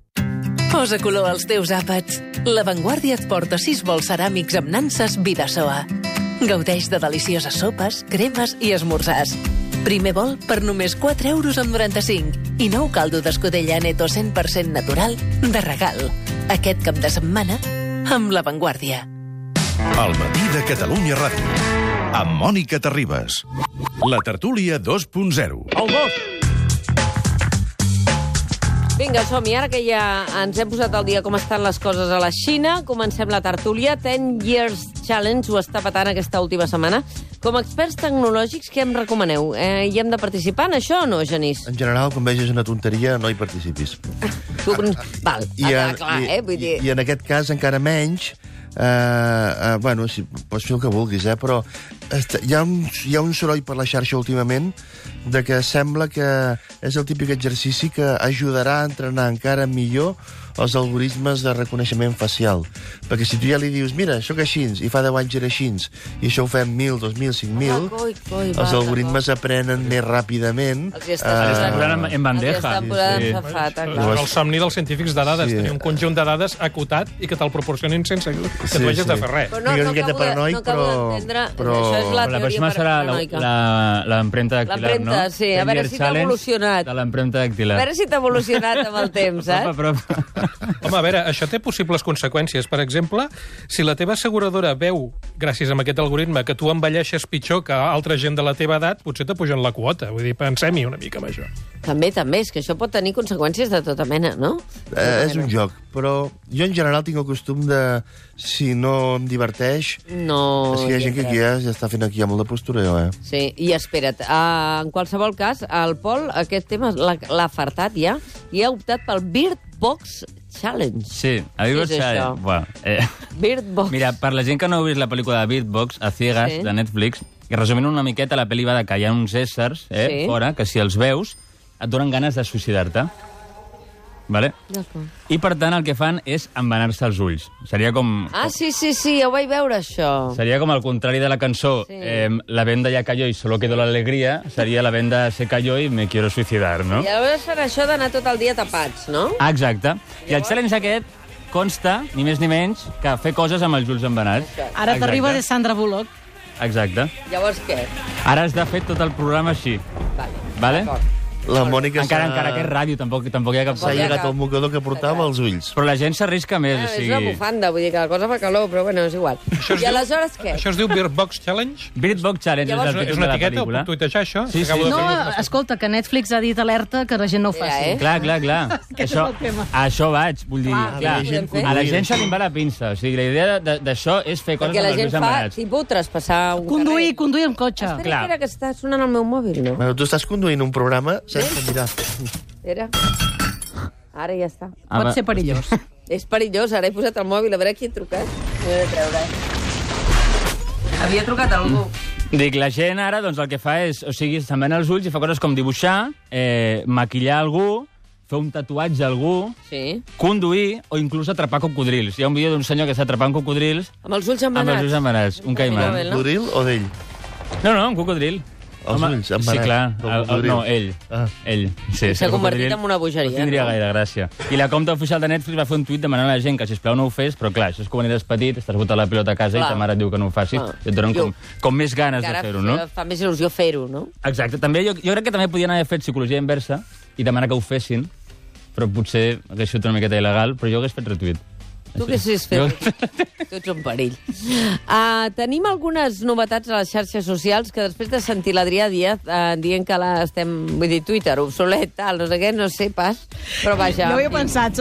Posa color als teus àpats. La Vanguardia et porta 6 bols ceràmics amb nanses Vidasoa. Gaudeix de delicioses sopes, cremes i esmorzars. Primer bol per només 4,95 € i nou caldo d'escudella Neto 100% natural de regal. Aquest cap de setmana amb La Vanguardia. El matí de Catalunya Ràdio, amb Mònica Terribas. La tertúlia 2.0. El gos! Vinga, som-hi. Ara que ja ens hem posat al dia com estan les coses a la Xina, comencem la tertúlia. 10 Years Challenge ho està patant aquesta última setmana. Com a experts tecnològics, què em recomaneu? Hi hem de participar en això o no, Genís? En general, quan vegis una tonteria, no hi participis. Val, clar, vull dir... I en aquest cas encara menys. Bueno, sí, pots fer el que vulguis, però hi ha un soroll per la xarxa últimament de que sembla que és el típic exercici que ajudarà a entrenar encara millor els algoritmes de reconeixement facial. Perquè si tu ja li dius, mira, sóc així, i fa 10 anys era així, i això ho fem 1.000, 2.000, 5.000, els algoritmes aprenen més ràpidament. Els estan posant en bandeja. El somni dels científics de dades, tenir un conjunt de dades acotat i que te'l proporcionin sense que tu hagis de fer res. No acabo d'entendre, això és la teoria paranoica. L'empremta dactilar, no? L'empremta, sí, a veure si t'ha evolucionat. De l'empremta dactilar. A veure si t'ha evolucionat amb el temps, saps? Home, a veure, això té possibles conseqüències. Per exemple, si la teva asseguradora veu, gràcies a aquest algoritme, que tu envelleixes pitjor que altra gent de la teva edat, potser t'apugen la quota. Vull dir, pensem-hi una mica amb això. També, és que això pot tenir conseqüències de tota mena, no? És un joc, però jo en general tinc el costum de, si no em diverteix... No... És que hi ha gent que aquí ja està fent aquí molt de postureo, Sí, i espera't, en qualsevol cas, el Pol, aquest tema l'ha fartat ja, i ha optat pel Bird Box Challenge. Sí, a Bird Box Challenge. Bueno, Bird Box. Mira, per la gent que no heu vist la pel·lícula de Bird Box, a ciegas, de Netflix, que resumint una miqueta, la pel·li va de que hi ha uns éssers fora, que si els veus et donen ganes de suïcidar-te. Vale? I, per tant, el que fan és envenenar-se els ulls. Seria com... Sí, ja ho vaig veure, això. Seria com el contrari de la cançó La venda ya cayó y solo quedó la alegría, seria la venda se cayó y me quiero suicidar, no? I llavors serà això d'anar tot el dia tapats, no? Exacte. I el challenge aquest consta, ni més ni menys, que fer coses amb els ulls envenenats. Ara t'arriba de Sandra Bullock. Exacte. Llavors què? Ara has de fer tot el programa així. Vale? La Mònica encara que és ràdio, tampoc hi ha cap... S'ha llegat el mocador que portava als ulls. Però la gent s'arrisca més, o sigui... És una bufanda, vull dir que la cosa fa calor, però bueno, és igual. I aleshores què? Això es diu Bird Box Challenge? Bird Box Challenge és el títol de la pel·lícula. És una etiqueta, ho puc tuitejar, això? Sí. No, escolta, que Netflix ha dit alerta que la gent no ho faci. Clar. Això vaig, vull dir, clar. A la gent se li va la pinça. O sigui, la idea d'això és fer coses amb els ulls envenenats. Perquè la gent fa, tipus, traspassar un carrer. Conduir amb cotxe. Espera, que està sonant el meu mòbil, no? Tu estàs conduint un programa sense mirar. Era. Ara ja està. Pot ser perillós. És perillós, ara he posat el mòbil, a veure qui ha trucat. M'he de treure. Havia trucat algú. Dic, la gent ara, doncs, el que fa és, o sigui, s'envena els ulls i fa coses com dibuixar, maquillar algú, fer un tatuatge a algú, conduir o inclús atrapar cocodrils. Hi ha un vídeo d'un senyor que està atrapant cocodrils... Amb els ulls envenenats? Amb els ulls envenenats, un caimà. Un cocodril o d'ell? No, un cocodril. Els ulls envenenats? Sí, clar. No, ell. Ell. S'ha convertit en una bogeria. No tindria gaire gràcia. I la compte oficial de Netflix va fer un tuit demanant a la gent que, sisplau, no ho fes, però clar, això és com quan eres petit, estàs botant la pilota a casa i ta mare et diu que no ho facis, i et donen com més ganes de fer-ho, no? Fa més il·lusió fer-ho, no? Exacte. També, jo crec que també podien haver fet psicologia inversa i demanar que ho fessin, però potser hagués sigut una miqueta il·legal, però jo hagués fet retuit. Tu què has fet? Tu ets un perill. Tenim algunes novetats a les xarxes socials que després de sentir l'Adrià Díaz dient que vull dir, Twitter, obsolet, tal, no sé què, no sé pas, però vaja. Jo ho he pensat,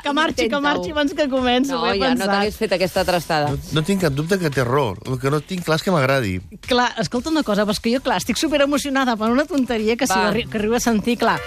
que marxi abans que començo. No, ja no t'hagués fet aquesta trastada. No tinc cap dubte que té error. El que no tinc clar és que m'agradi. Clar, escolta una cosa, però és que jo, clar, estic superemocionada per una tonteria que que arribo a sentir, clar.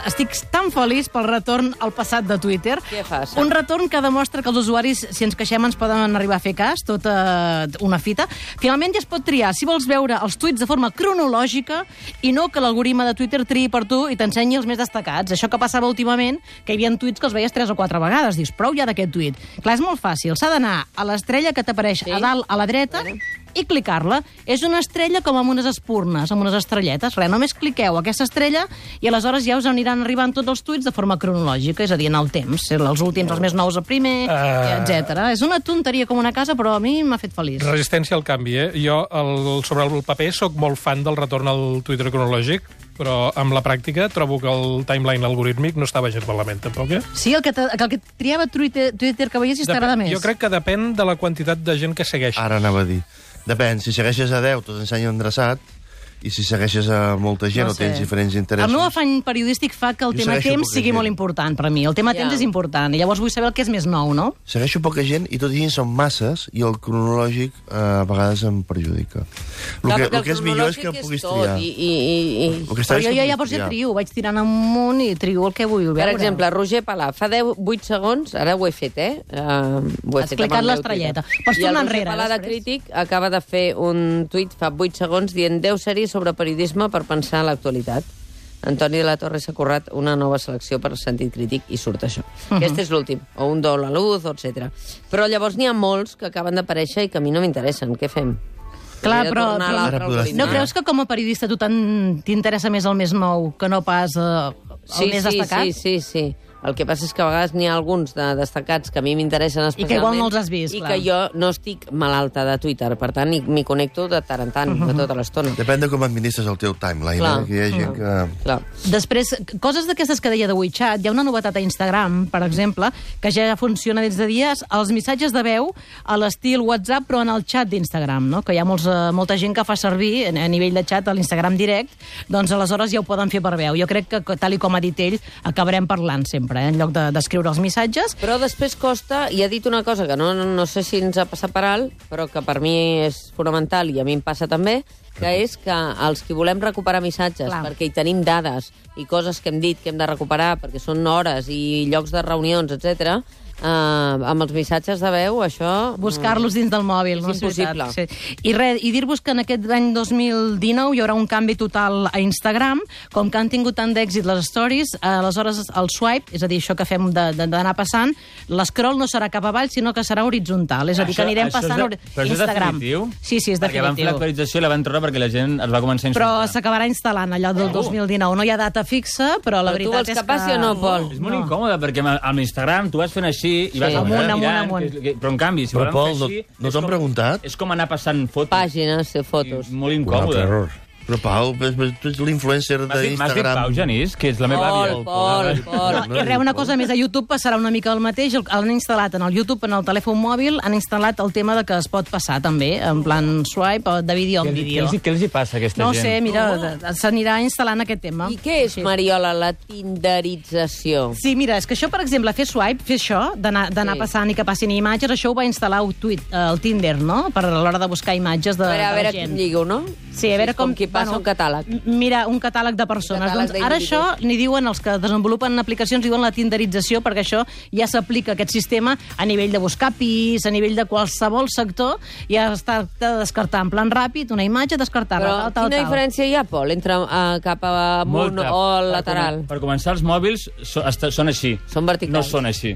Estic tan feliç pel retorn al passat de Twitter. Què fas? Un retorn que demostra que els usuaris, si ens queixem, ens poden arribar a fer cas, tota una fita. Finalment ja es pot triar si vols veure els tuits de forma cronològica i no que l'algoritme de Twitter triï per tu i t'ensenyi els més destacats. Això que passava últimament, que hi havia tuits que els veies 3 o 4 vegades. Dius, prou ja d'aquest tuit. Clar, és molt fàcil. S'ha d'anar a l'estrella que t'apareix a dalt a la dreta i clicar-la. És una estrella com amb unes espurnes, amb unes estrelletes. Res, només cliqueu aquesta estrella i aleshores ja us aniran arribant tots els tuits de forma cronològica, és a dir, en el temps. Els últims, els més nous a primer, etc. És una tonteria com una casa, però a mi m'ha fet feliç. Resistència al canvi, Jo, sobre el paper, sóc molt fan del retorn al Twitter cronològic, però amb la pràctica trobo que el timeline algorítmic no estava gens malament, tampoc, Sí, el que triava Twitter que veiessis t'agrada més. Jo crec que depèn de la quantitat de gent que segueix. Ara anava a dir. Depèn, si segueixes a 10 t'ensenya endreçat, i si segueixes a molta gent o tens diferents interessos... El meu afany periodístic fa que el tema temps sigui molt important per a mi. El tema temps és important, i llavors vull saber el que és més nou, no? Segueixo poca gent i tot i són masses i el cronològic a vegades em perjudica. El que és millor és que puguis triar. Però jo ja pots trio, vaig tirant amunt i trio el que vull veure. Per exemple, Roger Palà, fa 8 segons, ara ho he fet, Has clicat l'estrelleta. Pots tornar enrere. I el Roger Palà de Crític acaba de fer un tuit fa 8 segons dient 10 sèries sobre periodisme per pensar en l'actualitat. Antoni de la Torre s'ha currat una nova selecció per sentit crític i surt això. Aquest és l'últim, o un do a la luz, etc. Però llavors n'hi ha molts que acaben d'aparèixer i que a mi no m'interessen. Què fem? Clar, però no creus que com a periodista tu t'interessa més el més nou que no pas el més destacat? Sí. El que passa és que a vegades n'hi ha alguns de destacats que a mi m'interessen especialment... I que igual no els has vist, clar. I que jo no estic malalta de Twitter, per tant, m'hi connecto de tant en tant, de tota l'estona. Depèn de com administres el teu timeline, que hi ha gent que... Després, coses d'aquestes que deia de WeChat, hi ha una novetat a Instagram, per exemple, que ja funciona des de dies, els missatges de veu a l'estil WhatsApp, però en el xat d'Instagram, no? Que hi ha molta gent que fa servir a nivell de xat a l'Instagram direct, doncs aleshores ja ho poden fer per veu. Jo crec que, tal com ha dit ell, acabarem parlant sempre, en lloc d'escriure els missatges. Però després costa, i ha dit una cosa que no sé si ens ha passat per alt, però que per mi és fonamental i a mi em passa també, que és que els que volem recuperar missatges, perquè hi tenim dades i coses que hem dit que hem de recuperar, perquè són hores i llocs de reunions, etc., amb els missatges de veu, això... Buscar-los dins del mòbil, no? És impossible. I dir-vos que en aquest any 2019 hi haurà un canvi total a Instagram, com que han tingut tant d'èxit les stories, aleshores el swipe, és a dir, això que fem d'anar passant, l'escroll no serà cap avall, sinó que serà horitzontal, és a dir, que anirem passant Instagram. Però això és definitiu? Sí, és definitiu. Perquè van fer l'actualització i la van treure perquè la gent es va començar a insultar. Però s'acabarà instal·lant allò del 2019. No hi ha data fixa, però la veritat és que... Tu vols que passi o no, Pol? És molt incòmode, perquè amb l'Instagram tu vas fent així i vas amunt. Però en canvi, si volem fer així... No t'ho han preguntat? És com anar passant fotos. Pàgines de fotos. Molt incòmode. Però, Pau, tu ets l'influencer d'Instagram. M'has dit Pau, Genís, que és la meva àvia. Pol. I res, una cosa més, a YouTube passarà una mica el mateix. Han instal·lat en el YouTube, en el telèfon mòbil, han instal·lat el tema de que es pot passar també, en plan swipe, de vídeo en vídeo. Què els hi passa a aquesta gent? No sé, mira, s'anirà instal·lant aquest tema. I què és, Mariola, la tinderització? Sí, mira, és que això, per exemple, fer swipe, fer això, d'anar passant i que passin imatges, això ho va instal·lar el Tinder, no?, per a l'hora de buscar imatges de gent. A veure com lligo, no? Sí, a veure com qui passa un catàleg. Mira, un catàleg de persones. Doncs ara això n'hi diuen els que desenvolupen aplicacions, diuen la tinderització, perquè això ja s'aplica aquest sistema a nivell de buscar pis, a nivell de qualsevol sector, ja està de descartar en plan ràpid una imatge, descartar-la, tal. Quina diferència hi ha, Pol, entre cap amunt o lateral? Per començar, els mòbils són així. Són verticals. No són així.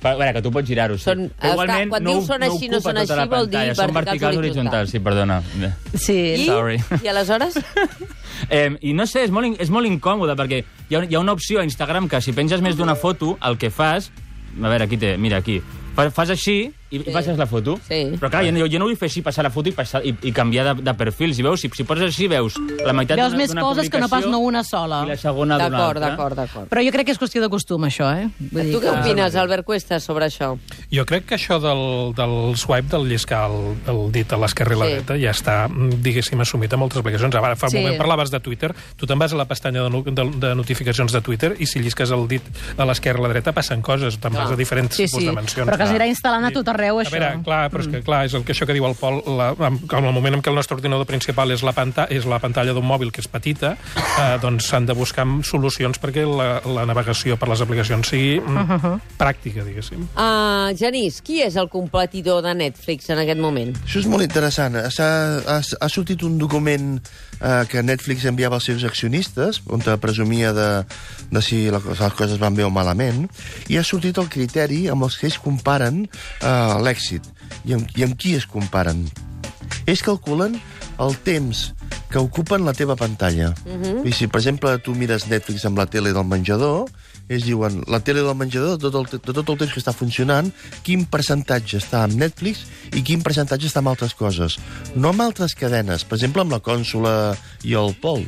A veure, que tu pots girar-ho, sí. Igualment, quan dius són així, no són així, vol dir verticals horitzontals. Sí, perdona. Sí. Sorry. I aleshores? I no sé, és molt incòmode, perquè hi ha una opció a Instagram que si penges més d'una foto, el que fas... A veure, aquí té, mira, aquí. Fas així i passes la foto. Però clar, jo no vull fer així, passar la foto i canviar de perfil. Si veus, si poses així, veus la meitat d'una publicació... Veus més coses que no pas no una sola. I la segona d'una altra. D'acord. Però jo crec que és qüestió de costum, això, Tu què opines, Albert Cuesta, sobre això? Jo crec que això del swipe, del lliscar el dit a l'esquerra i la dreta, ja està, diguéssim, assumit a moltes aplicacions. Ara, fa un moment parlaves de Twitter, tu te'n vas a la pestanya de notificacions de Twitter i si llisques el dit a l'esquerra i a la dreta passen coses, te'n vas a diferents tipus de mencions. Però que s'anirà instal·lant a tot arreu, això. A veure, clar, però és que clar, és això que diu el Pol, en el moment en què el nostre ordinador principal és la pantalla d'un mòbil que és petita, doncs s'han de buscar solucions perquè la navegació per les aplicacions sigui pràctica, diguéssim. Genís, qui és el competidor de Netflix en aquest moment? Això és molt interessant. Ha sortit un document que Netflix enviava als seus accionistes, on presumia de si les coses van bé o malament, i ha sortit el criteri amb els que ells comparen l'èxit. I amb qui es comparen? Ells calculen el temps que ocupen la teva pantalla. I si, per exemple, tu mires Netflix amb la tele del menjador, ells diuen, la tele del menjador, de tot el temps que està funcionant, quin percentatge està amb Netflix i quin percentatge està amb altres coses. No amb altres cadenes, per exemple, amb la Cònsola i el Pol.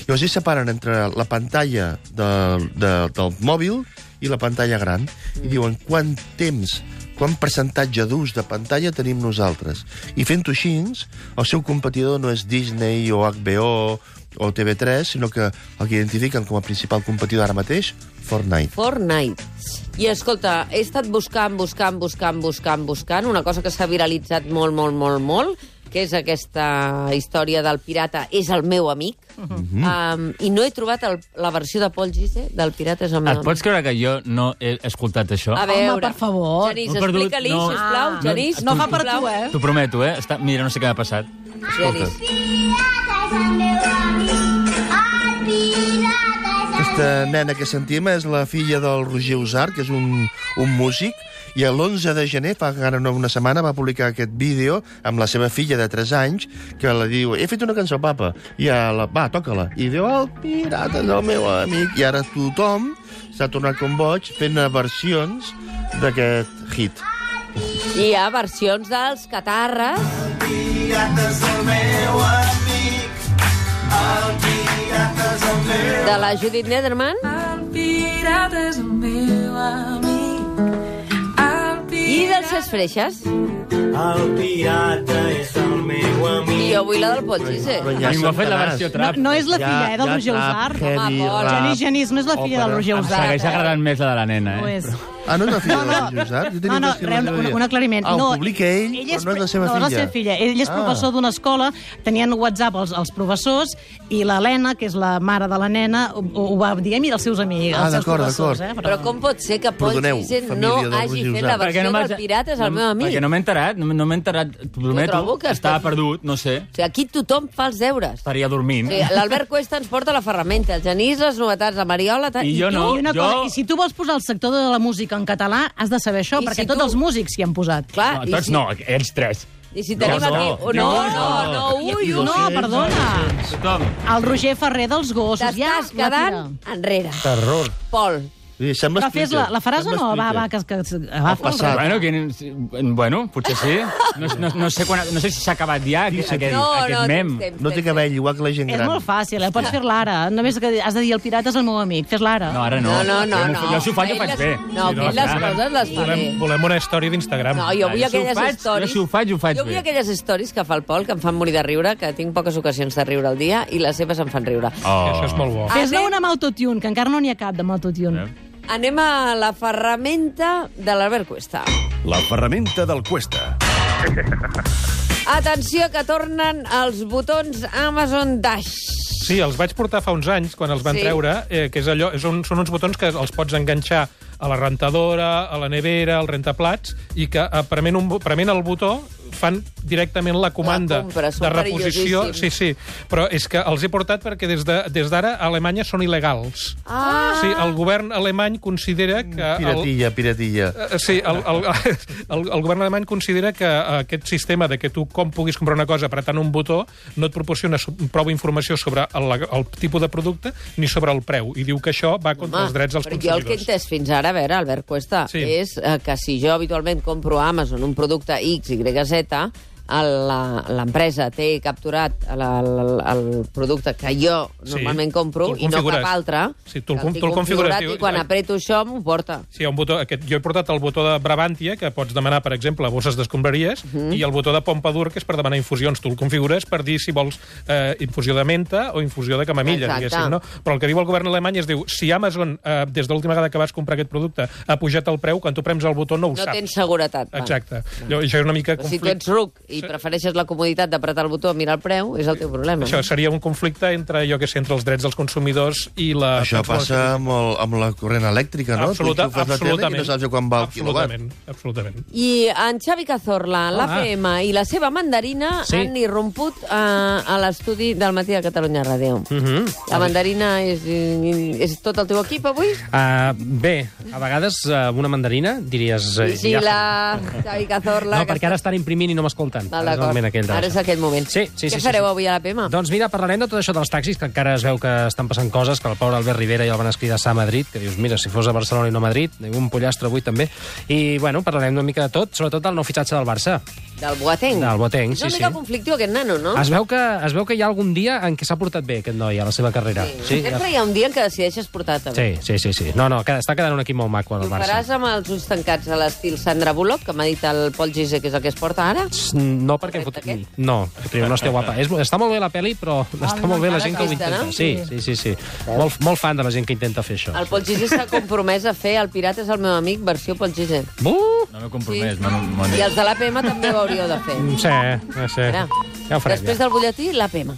Llavors ells separen entre la pantalla del mòbil i la pantalla gran i diuen quant percentatge d'ús de pantalla tenim nosaltres. I fent-ho així, el seu competidor no és Disney o HBO o TV3, sinó que el que identifiquen com a principal competidor ara mateix, Fortnite. I escolta, he estat buscant una cosa que s'ha viralitzat molt, que és aquesta història del pirata és el meu amic, i no he trobat la versió de Paul Gise del pirata és el meu amic. Et pots creure que jo no he escoltat això? A veure, home, per favor. Genís, explica-li, sisplau. Genís, no fa per tu, T'ho prometo, Mira, no sé què m'ha passat. Genís. Aquesta nena que sentim és la filla del Roger Usart, que és un músic, i l'11 de gener, fa una setmana, va publicar aquest vídeo amb la seva filla de 3 anys, que la diu, he fet una cançó, papa, i va, toca-la. I diu, el pirata és el meu amic. I ara tothom s'ha tornat com boig fent versions d'aquest hit. I hi ha versions dels Catarres. El pirata és el meu amic, el pirata és el meu amic. De la Judith Nederman. El pirata és el meu amic. I dels Ses Freixes. El pirata és el meu amic. I jo vull la del Paul Gise. A mi m'ha fet la versió trap. No és la filla, del Roger Usart. Genís, no és la filla del Roger Usart. Em segueix agradant més la de la nena, no és la filla del Roger Usart? No, un aclariment. Ho publica ell, però no és la seva filla. No, és la seva filla. Ell és professor d'una escola, tenien WhatsApp els professors, i l'Helena, que és la mare de la nena, ho va dir a mi dels seus amics, els seus professors. Però com pot ser que Paul Gise no hagi fet la versió del pirata és el meu amic? Perquè no m'he enterat, t'ho prometo, estava perdut, no sé. O sigui, aquí tothom fa els deures. Estaria dormint. L'Albert Cuesta ens porta la ferramenta, el Genís les novetats, la Mariola... I jo no. I si tu vols posar el sector de la música en català, has de saber això, perquè tots els músics s'hi han posat. Clar, no, tots no, ells 3. I si tenim aquí... No, perdona. El Roger Ferrer dels Gossos. T'estàs quedant enrere. Terror. Pol. Però la faràs o no? Va, que Bueno, potser sí. No sé si s'ha acabat ja aquest mem. No té cabell, igual que la gent gran. És molt fàcil, pots fer l'ara. Només que has de dir el pirata és el meu amic. Fes l'ara. No, ara no. Jo si ho faig, ho faig bé. No, les coses les fa bé. Volem una història d'Instagram. No, jo vull aquelles històries... Si ho faig, ho faig bé. Jo vull aquelles històries que fa el Pol, que em fan morir de riure, que tinc poques ocasions de riure al dia, i les seves em fan riure. Això és molt bo. Fes-ne una amb autotune, que encara no n'hi ha cap de autotune. Anem a la ferramenta de l'Albert Cuesta. La ferramenta del Cuesta. Atenció, que tornen els botons Amazon Dash. Sí, els vaig portar fa uns anys, quan els van treure, que és allò, són uns botons que els pots enganxar a la rentadora, a la nevera, al rentaplats, i que prement el botó fan directament la comanda de reposició. Sí, però és que els he portat perquè des d'ara a Alemanya són il·legals. Sí, el govern alemany considera que... Piratilla. Sí, el govern alemany considera que aquest sistema de que tu puguis comprar una cosa apretant un botó no et proporciona prou informació sobre el tipus de producte ni sobre el preu, i diu que això va contra els drets dels consumidors. Jo el que he entès fins ara, a veure, Albert Cuesta, és que si jo habitualment compro a Amazon un producte X, Y, Z, l'empresa té capturat el producte que jo normalment compro i no cap altre, tu el configures i quan apreto això m'ho porta. Sí, hi ha un botó, jo he portat el botó de Brabantia, que pots demanar, per exemple, bosses d'escombraries, i el botó de Pompadour, que és per demanar infusions. Tu el configures per dir si vols infusió de menta o infusió de camamilla, diguéssim, no? Però el que diu el govern alemany és, diu, si Amazon, des de l'última vegada que vas comprar aquest producte, ha pujat el preu, quan tu prems el botó no ho saps. No tens seguretat. Exacte. Això és una mica conflicte. Si tu ets ruc i prefereixes la comoditat d'apretar el botó, mirar el preu, és el teu problema. Això seria un conflicte entre, entre els drets dels consumidors i la... Això passa amb la corrent elèctrica, no? Absolutament. I no saps quan va el quilowatt. Absolutament. I en Xavi Cazorla, l'APM i la seva mandarina han irromput a l'estudi del Matí de Catalunya Ràdio. La mandarina és tot el teu equip avui? Bé, a vegades una mandarina diries... Vigila, Xavi Cazorla... No, perquè ara estan imprimint i no m'escolten. Ara és aquell moment. Què fareu avui a l'APM? Doncs mira, parlarem de tot això dels taxis, que encara es veu que estan passant coses, que el pobre Albert Rivera ja el van escridassar a Madrid, que dius, mira, si fos a Barcelona i no a Madrid, un pollastre avui també. I, bueno, parlarem una mica de tot, sobretot del nou fitxatge del Barça. Del Boateng? Del Boateng, sí. És una mica conflictiu aquest nano, no? Es veu que hi ha algun dia en què s'ha portat bé aquest noi a la seva carrera. Sempre hi ha un dia en què decideixes portar-te bé. Sí. No, està quedant un equip molt maco al Barça. Ho faràs amb els ulls tancats a l'estil Sandra Bullock, que m'ha dit el Pol Gise, que és el que es porta ara? No, perquè... No està guapa. Està molt bé la pel·li, però està molt bé la gent que ho intenta. Sí. Molt fan de la gent que intenta fer això. El Pol Gise s'ha compromès a fer El Pirata és el meu amic, versió Pol Gise. No m'he compromès. I els de l'APM també ho hauríeu de fer. Sí. Ja ho farem. Després del butlletí, l'APM.